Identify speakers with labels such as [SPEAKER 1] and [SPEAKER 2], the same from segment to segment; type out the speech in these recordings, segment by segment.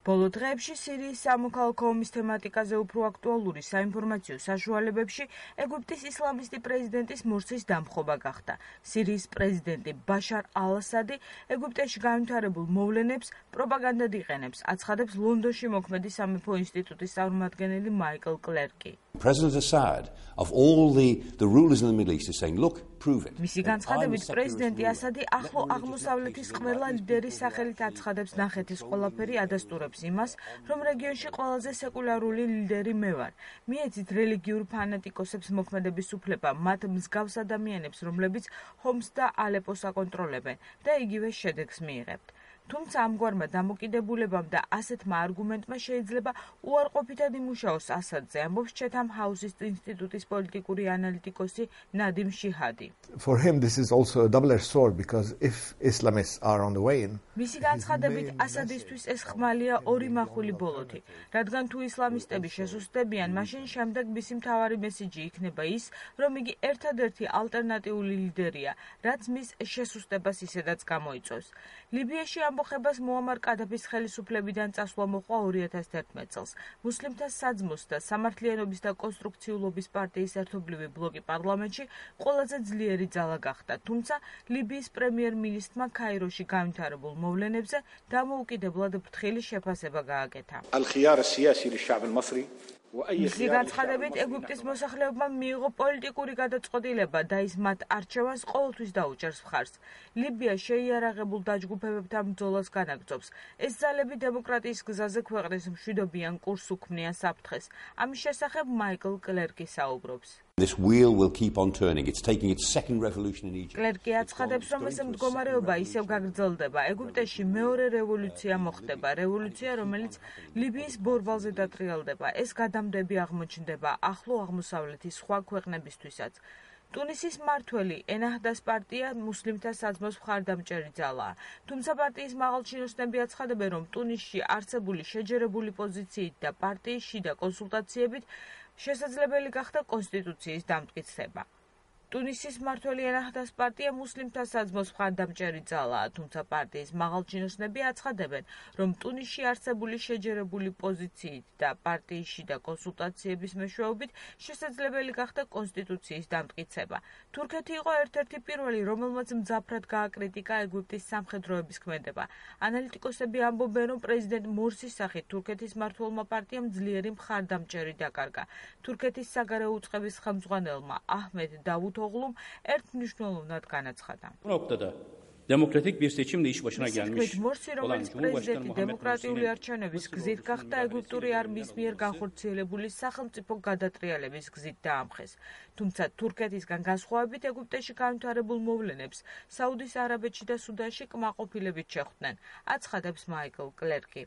[SPEAKER 1] ბოლო დღეებში სირიის სამოქალაქო ომის თემატიკაზე უფრო აქტუალური საინფორმაციო საშუალებებში ეგვიპტის ისლამისტი პრეზიდენტის მორსის დამხობა გახდა. სირიის პრეზიდენტი ბაშარ ალ-ასადი ეგვიპტეში განვითარებულ მოვლენებს პროპაგანდად იყენებს, აცხადებს ლონდონში მოქმედი სამეფო ინსტიტუტის წარმომადგენელი მაიკლ კლერკი.
[SPEAKER 2] President Assad, of all the rulers in the Middle East, is saying, look, prove it.
[SPEAKER 1] მისი განცხადებით პრეზიდენტი ასადი ახლო აღმოსავლეთის ყველა ლიდერის სახელით აცხადებს ნახეთის ყველაფერი ადასტურებს იმას, რომ რეგიონში ყველაზე სეკულარული ლიდერი მე ვარ. მიეცით რელიგიურ ფანატიკოსებს მოქმედების უფლება მათ მსგავს ადამიანებს, რომლებიც ჰომს და ალეპოს აკონტროლებენ და იგივე შედეგს მიიღებთ. თუმცა ამგვარმა დამოკიდებულებამ და ასეთმა არგუმენტმა შეიძლება უარყოფითად იმუშაოს ასადზე, ამბობს Chatham House-ის ინსტიტუტის პოლიტიკური ანალიტიკოსი ნადიმ შიჰადი.
[SPEAKER 3] For him this is also a double-edged sword because if Islamists are on the wane.
[SPEAKER 1] მისი განცხადებით ასადისთვის ეს ხმალია ორი მახვილი ბოლოთი, რადგან თუ ისლამისტები შესუსტებიან, მაშინ შემდეგ მისი მთავარი მესიჯი იქნება ის, რომ იგი ერთადერთი ალტერნატიული ლიდერია, რაც მის შესუსტებას ისედაც გამოიწვევს. ლიბიაში ამბოხებას მუამარ კადაფის ხელისუფლებიდან წასვლა მოყვა 2011 წელს. მუსლიმთა საძმოს და სამართლიანობის და კონსტრუქციულობის პარტიის ერთობლივი ბლოკი პარლამენტში ყველაზე ძლიერი ძალა გახდა, თუმცა ლიბიის პრემიერ-მინისტრმა ქაიროში განვითარებულ მოვლენებზე დამოუკიდებლად ფრთხილი შეფასება გააკეთა. მისი განცხადებით ეგვიპტის მოსახლეობმა მიიღო პოლიტიკური გადაწყვეტილება და ის მათ არჩევანს ყოველთვის დაუჭერს მხარს. ლიბია შეიარაღებულ დაჯგუფებებთან ბრძოლას განაგრძობს. ეს ძალები დემოკრატიის გზაზე ქვეყნის მშვიდობიან კურსს უქმნიან საფრთხეს. ამის შესახებ მაიკლ კლერკი საუბრობს.
[SPEAKER 2] This wheel will keep on turning. It's taking its second revolution in Egypt.
[SPEAKER 1] კლერკი აცხადებს, რომ ეს მდგომარეობა ისევ გაგრძელდება. ეგვიპტეში მეორე რევოლუცია მოხდება, რევოლუცია, რომელიც ლიბიის ბორბალზე დატრიალდება. ეს გადამდები აღმოჩნდება ახლო აღმოსავლეთის სხვა ქვეყნებისთვისაც. ტუნისის მმართველი ენაჰდას პარტია მუსლიმთა საძმოს მხარდამჭერი ძალაა. თუმცა პარტიის მაღალჩინოსნები აცხადებენ, რომ ტუნისში არსებული შეჯერებული პოზიციით და პარტიის შიდა კონსულტაციებით შესაძლებელი გახდა კონსტიტუციის დამტკიცება. ტუნისის მმართველი ენაჰდას პარტია მუსლიმთა საძმოს მხარდამჭერი ძალაა, თუმცა პარტიის მაღალჩინოსნები აცხადებენ, რომ ტუნისში არსებული შეჯერებული პოზიციით და პარტიის შიდა კონსულტაციების მეშვეობით შესაძლებელი გახდა კონსტიტუციის დამტკიცება. თურქეთი იყო ერთ-ერთი პირველი, რომელმაც მძაფრად გააკრიტიკა ეგვიპტის სამხედროების ქმედება. ანალიტიკოსები ამბობენ, რომ პრეზიდენტ მორსის სახით თურქეთის მმართველმა პარტიამ ძლიერი მხარდამჭერი დაკარგა. თურქეთის საგარეო უწყების ხელმძღვანელმა აჰმედ დავუთოღლუმ ერთმნიშვნელოვნად განაცხადა.
[SPEAKER 4] Demokratik bir seçimle iş başına gelmiş.
[SPEAKER 1] მორსი, რომელიც პრეზიდენტი დემოკრატიული არჩევნების გზით გახდა ეგვიპტური არმიის მიერ განხორციელებული სახელმწიფო გადატრიალების გზით დაამხეს. თუმცა თურქეთისგან განსხვავებით ეგვიპტეში განვითარებულ მოვლენებს საუდის არაბეთში და სუდანში კმაყოფილებით შეხვდნენ, აცხადებს მაიკლ კლერკი.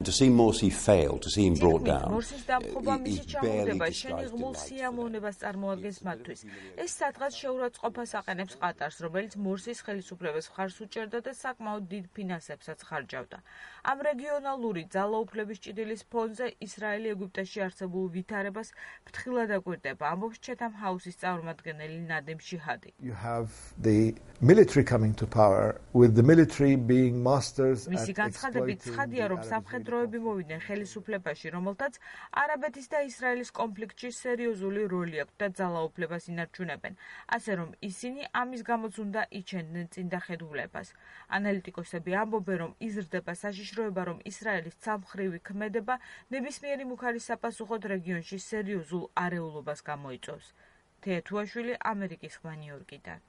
[SPEAKER 2] To see Morsi fail, to see him brought down.
[SPEAKER 1] მორსის დამხობა მისი ჩამოგდება შენიღმულ სიამოვნებას წარმოადგენს მათთვის. ეს სადღაც შეურაცხყოფას აყენებს ყატარს, რომელიც მორსის ხელისუფლებას მხარს უჭერდა და საკმაოდ დიდ ფინანსებსაც ხარჯავდა. ამ რეგიონალური ძალაუფლების ჭიდილის ფონზე ისრაელი ეგვიპტეში არსებულ ვითარებას ფრთხილად აკვირდება, ამბობს Chatham House-ის წარმომადგენელი ნადიმ შიჰადი.
[SPEAKER 3] You have the military coming to power with the military being masters at
[SPEAKER 1] მისი განცხადებით ცხადია, რომ სამხედროები მოვიდნენ ხელისუფლებაში, რომელთაც არაბეთის და ისრაელის კონფლიქტში სერიოზული როლი აქვს და ძალაუფლებას ინარჩუნებენ, ასე რომ ისინი ამის გამოც უნდა იჩენდნენ წინდახედულებას. ანალიტიკოსები ამბობენ, რომ იზრდება საშიშროება, რომ ისრაელის ცალმხრივი ქმედება ნებისმიერი მუქარის საპასუხოდ რეგიონში სერიოზულ არეულობას გამოიწვევს. თეათუაშვილი, ამერიკის ხმა, ნიუ-იორკიდან.